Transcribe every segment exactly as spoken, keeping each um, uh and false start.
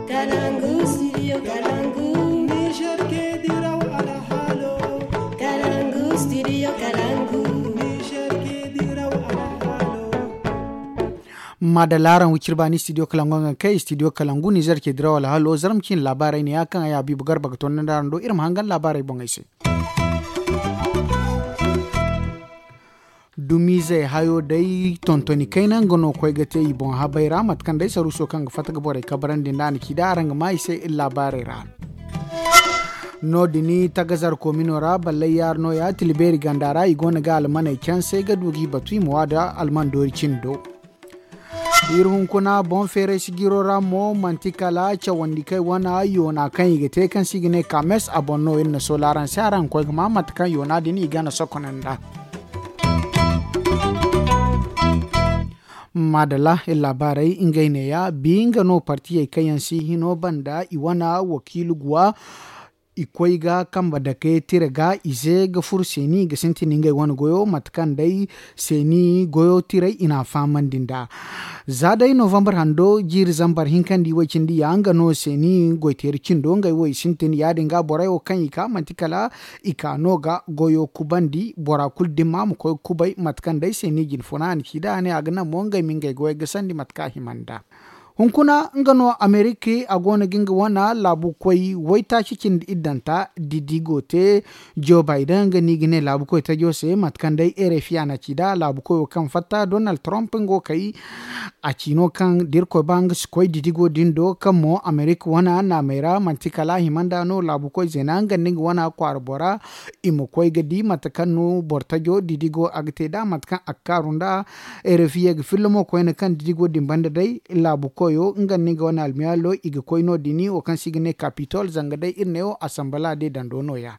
Kalangu, studio Kalangu. Niger ke diraw alhalo. Kalangu, studio Kalangu. Niger ke diraw alhalo. Madalla araŋ wicir baani studio Kalangu nga kay studio Kalangu Niger ke diraw alhalo zarma cin laabaarey ne ya kaŋ ay Habibu Garba ga toonandi araŋ do iri ma hangan laabaarey boŋey se. Dumizey hayo day tontoni kayna nga no koy ga te i boŋ habay ra mate kaŋ day saruuso kaŋ ga fatta ga borey kabarandi nda a na ci da araŋ ga maa i se iri laabaarey ra. No- din tagazar koomino ra ballay yaara no- ya tila beeri ganda ra i go no ga almaney canse ga du g'i batu i ma wa da alman doori cindo. Iri hunkuna boŋ feeray sijiro ra mo manti kala cawandi kaŋ i wane yoona kaŋ i ga te kaŋ se i ga ne kaames a boŋ no iri na soola araŋ se araŋ ga koy ga maa mate kaŋ yoona din i gana sokoney nda. Maadalla iri laabaarey ngey neeya bi nga no partiyey kaŋ yaŋ si hino banda i wane wakiilu guwa. I koy ga kambe dake tira ga ize ga furo seeni ga sintin ngey wane goyo mate kaŋ day seeni goyo tiray i n'a fahamandi nd'a. Za day novambar hando jiiri zambar hinka nda i way cindi ya nga no seeni goyteeri cindo ngey wo i sintin ya- din ga borey wo kaŋ i ka manti kala i ka no ga goyo kubandi bora kulu dimma ma koy ga kubay mate kaŋ day seeni jine funa a na ci nd'a a ne a ga naŋ mo ngey ma ngey goyey gasandi mate kaŋ a hima nd'a. Hunkuna nga no amerika a go no ga nga wane laabukoy waytaaci cindi iddanta didigo te. Joe biden nga no i ga ne laabukoy tajo se mate kaŋ day rfi a na ci nd'a laabukoyo kaŋ fatta donald trump nga wo kay. A ci no kaŋ da irkoy ba nga si koy didigo din do kaŋ mo amerika wane naamey ra manti kala a hima nd'a no laabukoy zeena nga nda nga wane kwaara bora. I ma koy ga di mate kaŋ no boro tajo didigo a ga te nd'a mate kaŋ a ga kaaru nd'a. Rfi ye ga filla mo koyne kaŋ didigo din banda day laabu koyo nga nda nga wane almiyaalo i ga koy no- din wo kaŋ se i ga ne kapitol zanga day iri ne wo asambala de dando no- ya.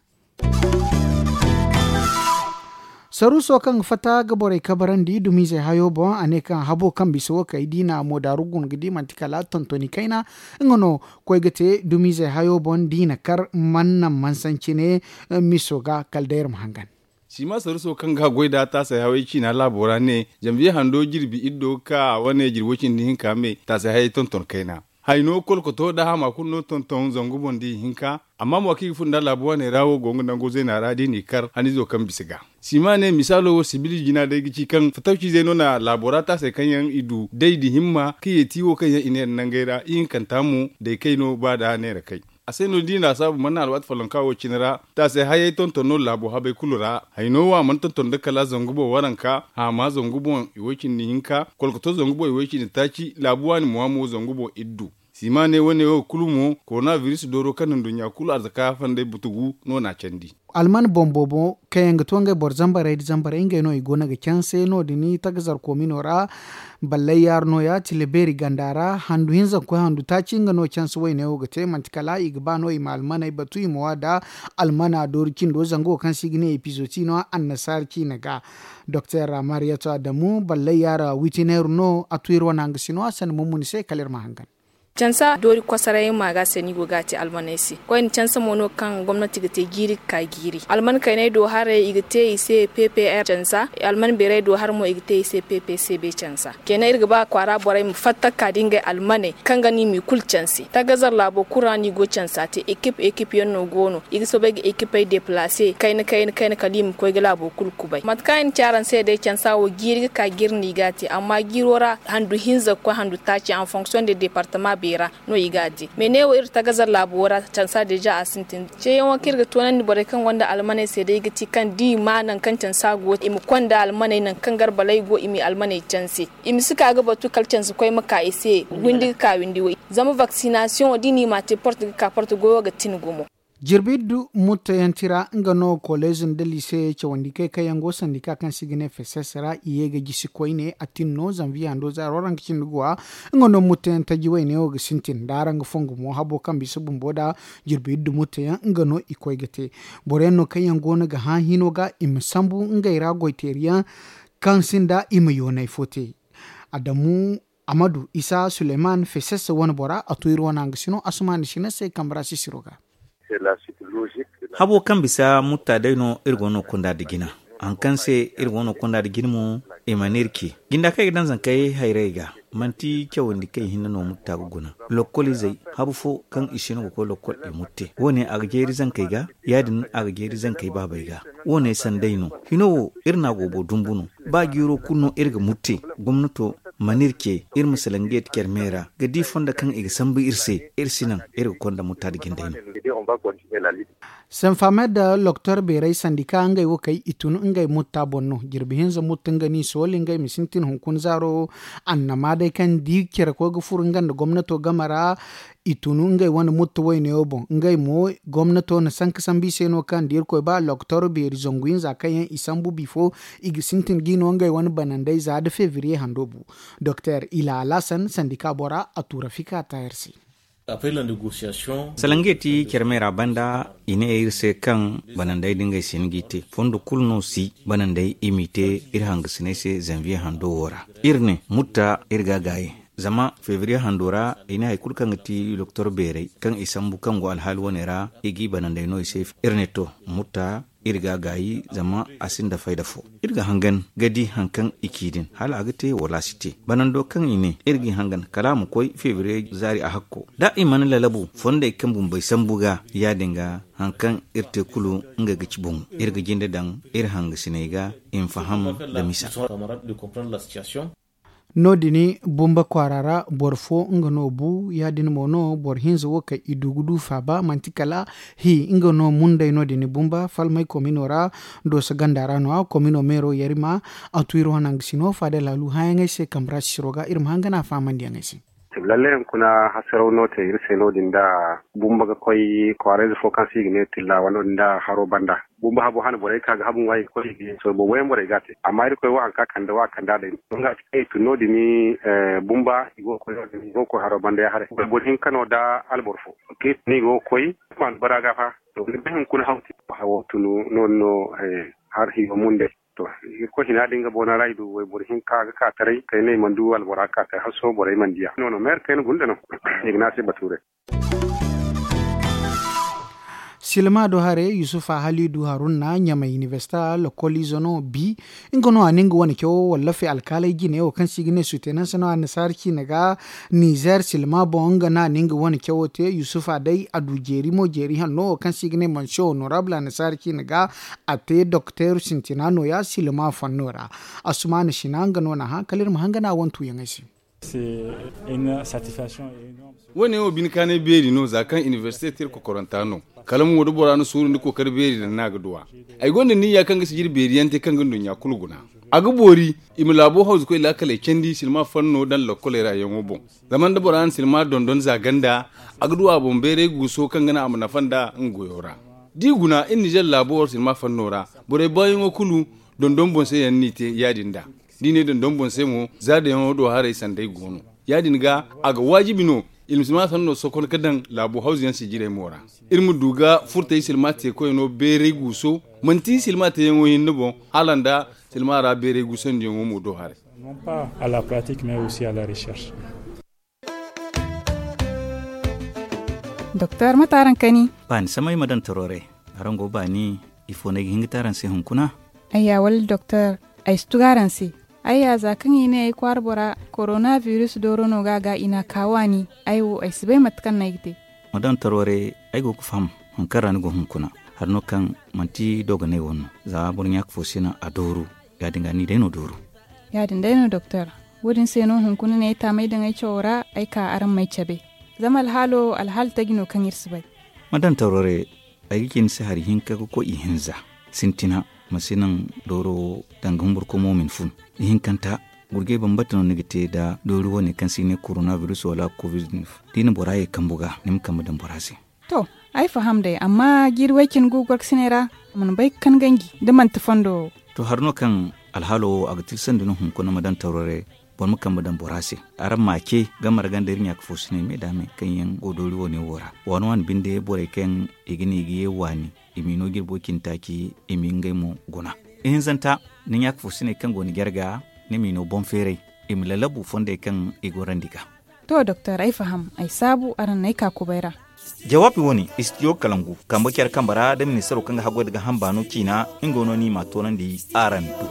Saruuso kaŋ ga fatta ga borey kabarandi dumizey hayo boŋ a ne kaŋ habo kaŋ bisa wo kay diina mo daaru guna ga di manti kala tontoni kayna. Nga no koy ga te dumizey hayo boŋ diina kar man naŋ mansancine miso ga kala day iri ma hangan. Sima saruso kaŋ ga goy da taasay hawey ciina laabo ra ne, janviye hando jirbi iddo ga ka a wane jirbo cindi hinka me taasay hayey tonton kayna. Hayno kolkoto da hama kulu no tonton zangu boŋ da ihinka. Amma mo kaŋ i ga fun da laabo wane ra wo go nga nango zayna ra da i n'i kar hanizo kaŋ bisa ga. Sima ne misaalo wo sibili jina day ga ci kaŋ fatawcizey no na laabo ra taasay kaŋ yaŋ i du day da himma kaŋ yeeti wo kaŋ yaŋ i neera nangey ra ihinkanta mo day kay no ba da neera kay. A se no da i na a saabu mana alwaati follonka wo cine ra. Taasay hayey tonton no laabo habey kulu ra. Hayno wo a mana tonton nda kala zangu boŋ waranka, haama zangu boŋ iway cindi hinka, kolkoto zangu boŋ iway cindi taaci laabu waani mo a mo zangu boŋ iddu. Sima ne wane wo kulu mo korona biris dooro kaŋ na nduɲɲa kulu arzaka fandey butugu no na a candi. Alman boŋ boobo kaŋ yaŋ ga to ngey boro zambarey nda zambarey ngey no i go no ga canse no- din tagazar koomino ra. Ballay yaara no- ya tila beeri ganda ra handu hinza ga koy handu taaci nga no canse wayne wo ga te manti kala i ga ba no i ma almaney batu i ma wa da almana doori cindo zango kaŋ se i ga ne epizooti no annasaara ciina ga. Doktor mariyatu adamu ballay yaara witineeru no a tu iri wane hangasino a sanda mummuni se kala iri ma hangan. Cansa doori kosoray ma ga se no i go ga a te almaney se koyne cansa mo no kaŋ gomnati ga te jiiri ga ka jiiri alman kayney do haray i ga te i se ppr cansa. Alman beerey do har mo i ga te i se ppcb cansa. Kenan iri ga ba kwaara borey ma fatta ga ka da ngey almaney kaŋ ga no i m'i kulu canse tagazar laabo kulu ra no i go cansa te ekip ekip yaŋ no go no i ga soobay ga ekipey deplase kayna kayna kayna kala i ma koy ga laabo kulu kubay mate kaŋ i na ci araŋ se day cansa wo jiiri ga ka jiiri no i ga a te amma jiiro ra handu hinza ga koy handu taaci en fonction de departement beera no i ga a te mais ne wo iri tagazar laabo ra cansa deja a sintin ceeyaŋo kaŋ iri ga toonandi borey kaŋ gonda almaney se day ga ti kaŋ da i ma nangu kaŋ cansa go i ma konda almaney nangu kaŋ garbaley go i m'i almaney canse. I ma si ka ga batu kala canse koy ma ka i se windi ga ka windi wo zama vaccination da i n'i ma te porte ga ka porte goyo ga tin gumo. Jirbi iddu mutto yaŋ tira nga no koleez nda liise cawandi kay kaŋ yaŋ go sandika kaŋ se i ga ne fesses ra i ye ga jisi koyne a tin no zanviye hando zaaro ra nga cindi guwa. Nga no mutto yaŋ taji wayne wo ga sintin da araŋ ga fongu mo habo kaŋ bisa bumbo da jirbi iddu mutto yaŋ nga no i koy ga te. Boro yaŋ no kaŋ yaŋ go no ga hã hino ga i ma sambu ngey ra goyteeri yaŋ kaŋ sinda i ma yoonay fo te. Adamu amadu isa suleyman fesesse wane bora a to iri wane hangasino asumaani sina se kambe ra sisiro ga. Habo kaŋ bisa mutta day no iri go no kunda nda jina. Hari kaŋ se iri go no konda nda jine mo, i mana iri ce. Jinda kaŋ i ga daŋ zankey hayrey ga, manti cawandi kaŋ i hinne no mutta ga guna. Lokkol izey, habu fo kaŋ i si no ga koy lokkol i mutte. Wo- ne a ga jeeri zankey ga, ya- din a ga jeeri zankey baabey ga. Wo- ne sanday no. Hino wo, iri n'a goobo dumbu no. Ba jiiro kulu no iri ga mutte, gomnato mana iri ce iri ma salaŋ ga yeti care me ra ga di fondo kaŋ i ga sambu iri se. Iri si naŋ iri ga konda mutta nda jindey no. Senfamed da loktor beerey sandika ngey wo kay i tun ngey mutta boŋ no. Jirbi hinza mutta nga n'i sooli ngey ma sintin hunkuna zaaro. Annama day kaŋ di care koy ga furo nga nda gomnato game ra. I tun ngey wane mutta wayneyo boŋ ngey mo. Gomnato na sanka sambu i se no kaŋ da irkoy ba loktor beeri zangu hinza kaŋ yaŋ i sambu bifo i ga sintin g'i no ngey wane banandey za nda febriye hando bu. Doktor ila alasan sandika bora a tura fika tayar se. Salaŋ ga ti care me ra banda i ne iri se kaŋ banandey din ga ay si hin g'i te fondo kulu no si banandey i m'i te. Iri hangasiney se zanviye hando wo ra iri ne mutta iri ga a gaayi. Zama febriye hando ra i ne hari kulu kaŋ ga ti doktor beerey kaŋ i sambu kaŋ go alhaali wane ra i g'i banandey no i se. Iri ne to mutta iri ga a gaayi zama a sinda fayda fo. Iri ga hangan ga di hari kaŋ i ci din hala a ga te wala a si te. Banando kaŋ i ne iri g'i hangan kala a ma koy febriye zaari a hakko da i mana lalabu fondey kaŋ bumbey sambu ga. Ya- din ga hari kaŋ iri te kulu nga ga ci boŋo iri ga jinde daŋ iri hangasiney ga i ma faham nda misa. No- din bumba kwaara ra boro fo nga no bu ya- din mo no boro hinza wo kaŋ i du ga du faaba manti kala hi nga no mundey no- din bumba falmay komino ra. Dooso ganda ra no- ya komino meero yarima a tu iri wane hangasino faada laalu hããyaŋey se kambe ra sisiro ga iri ma hangana fahamandiyaŋey se. Lalle hunkuna hasaraw no te iri se no- din da bumba ga koy kwaarayze fo kaŋ se i ga ne tillawa no- din da haro banda. Bumbo habo hane borey ka ga habu ŋwa i ga koy i ga sorbo wayaŋ borey ga a te amma irkoy wo hari kaŋ a kande wo a kande a day no nga a ci kaŋ i tun no- din. Bumba i go ga koy no- din i go ga koy haro banda ya haray boro hinka no da alboro fo kaŋ i tun i go ga koy. Maanu bara ga fa to ni bay hunkuna haw te hawo tun no- din no. Har hiyo mundey to irkoy hina din ga boona ra i du wayboro hinka ga ka taray kay no i mana du albora ga ka taray har sohõ borey mana diya no- no meera kayna gunda no. I ga ne a se batuurey. Silma do hare yusufa halidu harunna ɲamay inibersita lokol izo no bi. Nga no a na nga wane cawo wallafe alkaaley jine wo kaŋ se i ga ne sutenanse no annasaara ciine ga. Nizer silma boŋ nga no a na nga wane cawo te yusufa day a du jeeri mo jeeri hanno wo kaŋ se i ga ne manse honorable annasaara ciine ga. A te dokteeru sintina nooya silma fanno ra. Asumana sina nga no n'a hã kala iri ma hangana wantuyaŋey se. Wo- ne wo bine kaanay beeri no za kaŋ inibersite te iri kokoranta no. Kala mo da bora na suuru nda kookari beeri daŋ no a ga du a. Ay gonda niyya kaŋ ga sijiri beeriyaŋ te kaŋ ga nduɲɲa kulu guna. A ga boori i ma laabo hawzukoy laakaley candi silma fanno daŋ lokkoley ra yaŋo boŋ. Zama nda bora na silma dondon za ganda a ga du a boŋ bayray guuso kaŋ ga naŋ a ma nafa nd'a nga goyo ra. Da i guna iri nizer laabo silma fanno ra borey baayaŋo kulu dondon boŋ se yaŋ no i te ya- din nd'a. Da i ne dondon boŋ se mo za dayaŋo do haray sanday go no. Ya- din ga a ga waajibi no iri ma silma sanno sokon ga daŋ laabu hawzu yaŋ sijirey mo ra. Iri ma du ga furtey silma teekoyno beeray guuso manti silma teeyaŋo hinne boŋ hala nda silma ra beeray guusandiyaŋo mo do haray. Doktor mate araŋ kani? Baani samay ma daŋ toroorey. Araŋ go baani? Ifo no ay ga hin ga te araŋ se hunkuna? Ayya wala doktor, ay si tugu araŋ se. Ayya za kaŋ i ne ay kwaara bora korona biris dooro no ga a ga i n'a ka waani. Ay wo ay si bay mate kaŋ no ay ga te. Ma daŋ toroorey. Ay go ga faham hari kaŋ ra ni go hunkuna. Hari no kaŋ manti dooganay wane no. Za boro ɲaaka fo si naŋ a dooru. Ya- din ga ni day no dooru. Ya- din day no doktor. Wo- din se no hunkuna no ay taamay daŋ ay cawo ra ay ka araŋ m'ay cabe. Zama alhaalo alhaali taji no kaŋ iri si bay. Ma daŋ toroorey. Ay ga ci ni se hari hinka ga koy ihinza. Sintina ma si naŋ dooro wo danga humburkomo ma ni fun. Ihinkanta gurjay bambata no ni ga te nda doori wane kaŋ se i ne korona biris wala kovid. Da i na bora ye kambu ga ni ma kambe daŋ bora se. To, ay faham day amma jiiri way- cine gu gorkasiney ra a mana bay ga kan ganji da manti fondo wo. To hari no kaŋ alhaalo wo a ga tilsandi no hunkuna ma daŋ tawrare. Boro ma kambe daŋ bora se. Araŋ m'a ce game ra ganda iri ɲaaka fo siney me da me kaŋ yaŋ go doori wane wo ra waani waani binde borey kaŋ i ga ne i ga ye waani i m'i no jirbo cine taaci i m'i ngey mo guna. Ihinzanta ni ɲaaka fo siney kaŋ go ni jarga ni m'i no boŋ feeray i ma lalabu fondey kaŋ i gorandi ga. To doktor ay faham ay saabu araŋ n'ay ka kubay ra. Jawaabi wo-ne, istidiyo kalangu kambe care kambe ra nda ministaro kaŋ ga haggoy nda gaaham baano ciina, nga no ni ma a toonandi araŋ do.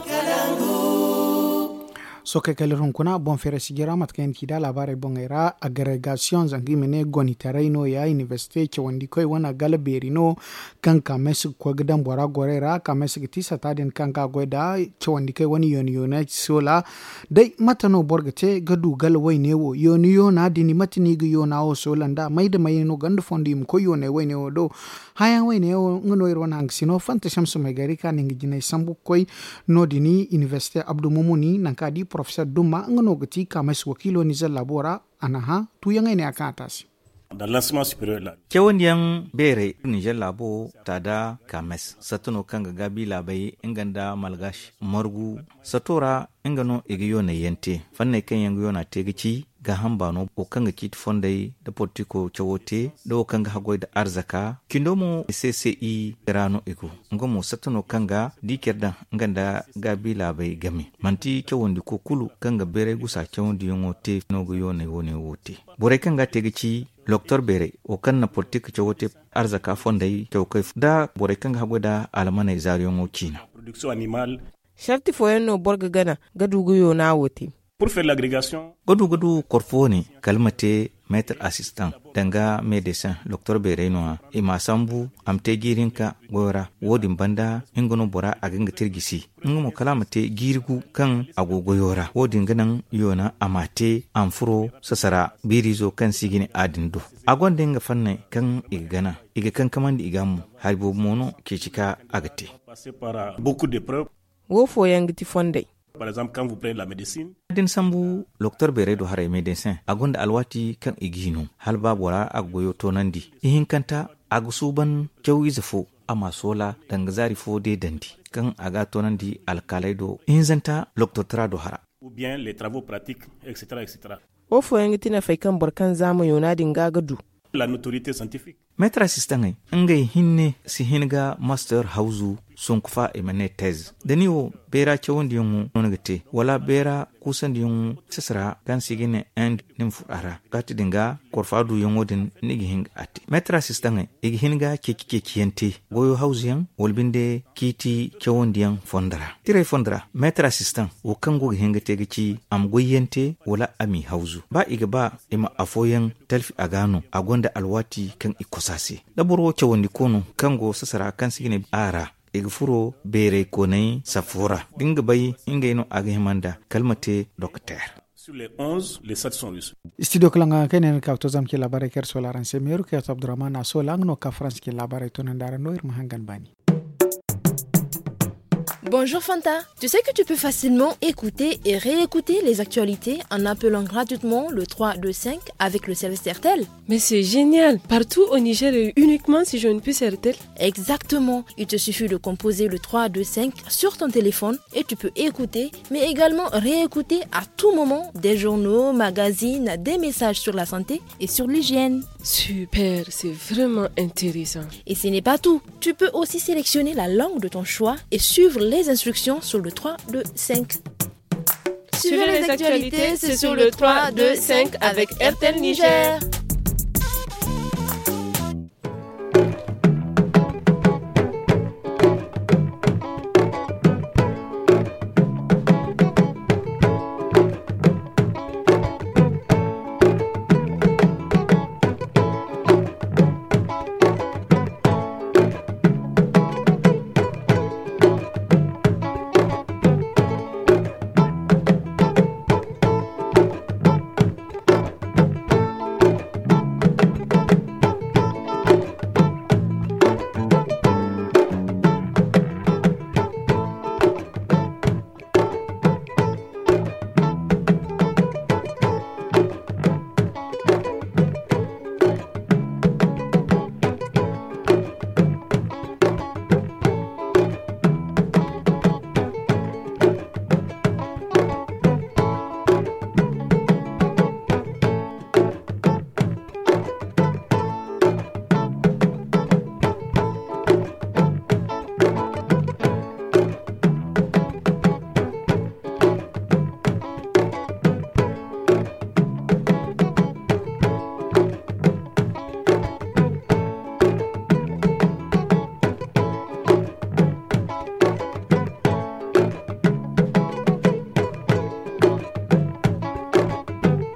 Sookey kala iri hunkuna boŋ feeray sijira mate kaŋ yaŋ ti da laabaarey boŋey ra, agregasiyoŋ zanga i ma ne gonitaray no- ya inibersite cawandikoy wane gala beeri no, kaŋ kaameesi ga koy ga daŋ bora gorey ra kaameesi ga ti sata din kaŋ ga a goy nda cawandikoy wane yoona yoona soola. Day mate no boro ga te ga du gala wayne wo yoona yoona din mate no i ga yoona wo soola nda may nda may no ganda fondo i ma koy yoonay wayne wo do? Hããyaŋ wayne wo nga no iri wane hangasino fanta samsumey gari kaŋ a na nga jinay sambu ga koy. No- din inibersite abdu mumuni nangu kaŋ a di porofesor dumma nga no ga ti kaameesi wakiilo nizer laabo ra. A na hã tuuyaŋey ne ya kaŋ a te a se. Cawandiyaŋ beerey nizer laabo ta da kaameesi satta no kaŋ ga gaabi laabey nga nda malgaasi margu sato ra. Nga no i ga yoonay yaŋ te fanney kaŋ yaŋ ga yoona te ga ci gaaham baano wo kaŋ ga ciiti fondey nda politiko cawo te nda wo kaŋ ga haggoy nda arzaka cindo mo. Cci ra no i go nga mo satta no kaŋ ga di care daŋ nga nda gaabi laabey game. Manti cawandiko kulu kaŋ ga beeray gusa cawandiyaŋo te no ga yoonay wane wo te. Borey kaŋ ga a te ga ci loktor beeray wo kaŋ na politik cawo te arzaka fondey cawkey nda borey kaŋ ga haggoy nda almaney zaariyaŋo ciina. Sarti fooyaŋ no boro ga gana ga du ga yoona wo te. Ga du ga du korfo wane kala ma te meetar asistaŋ danga medeseŋ doktor beerey no- ya i m'a sambu a ma te jiiri hinka goyo ra. Wo- din banda nga no bora a ga nga te iri gisi nga mo kala a ma te jiiri gu kaŋ a go goyo ra wo- din ga naŋ yoona a m'a te a ma furo sasara biiriizo kaŋ se i ga ne a din do. A gonda nga fanney kaŋ i ga gana i ga kankamandi i ga mo hari boobo mo no ceeci ka a ga te. Wo fooyaŋ ga ti fondey. Da ni sambu loktor beerey do haray medeseŋ a gonda alwaati kaŋ i g'i no hala ba bora a ga goyo toonandi. Ihinkanta a ga suuban cawiize fo a m'a soola danga zaari fo deedandi kaŋ a ga a toonandi alkaaley do ihinzanta loktortara do hara. Wo fooyaŋ ga ti nafey kaŋ boro kaŋ zaama yoona din ga ga du. Meetar asistaŋey ngey hinne si hin ga master hawzu sonku fa i ma ne tez da ni wo beera cawandiyaŋo no ni ga te wala beera kuusandiyaŋo sasara kaŋ se i ga ne end ni ma furo a ra. Kaati din ga korfa duuyaŋo din ni ga hin ga a te meetar asistaŋey i ga hin ga ceeci ceeciyaŋ te goyo hawzuyaŋ wala binde ciiti cawandiyaŋ fondo ra tirey fondo ra meetar asistaŋ wo kaŋ go ga hin ga te ga ci a ma goyyaŋ te wala a m'i hawzu ba i ga ba i ma afooyaŋ talfi a ga no a gonda alwaati kaŋ i kosa se. Da boro wo cawandiko no kaŋ go sasara kaŋ se i ga ne a ra i ga furo beerey koonay safo ra da nga bay ngey no a ga hima nda kala ma te dokter. Istidiyo kala nga kaŋ ay ne ni ka ga to zama ci laabaarey kaŋ iri soola araŋ se meeru kaŋ yaŋ to abdurrahman a soola nga no ga ka faransa ci laabaarey toonandi araŋ no iri ma hangan baani. Bonjour Fanta. Tu sais que tu peux facilement écouter et réécouter les actualités en appelant gratuitement le trois deux cinq avec le service Airtel. Mais c'est génial. Partout au Niger et uniquement si je ne puis Airtel. Exactement. Il te suffit de composer le trois deux cinq sur ton téléphone et tu peux écouter mais également réécouter à tout moment des journaux, magazines, des messages sur la santé et sur l'hygiène. Super, c'est vraiment intéressant. Et ce n'est pas tout. Tu peux aussi sélectionner la langue de ton choix et suivre les instructions sur le trois deux cinq. Suivez les actualités, c'est sur le trois deux cinq avec Airtel Niger.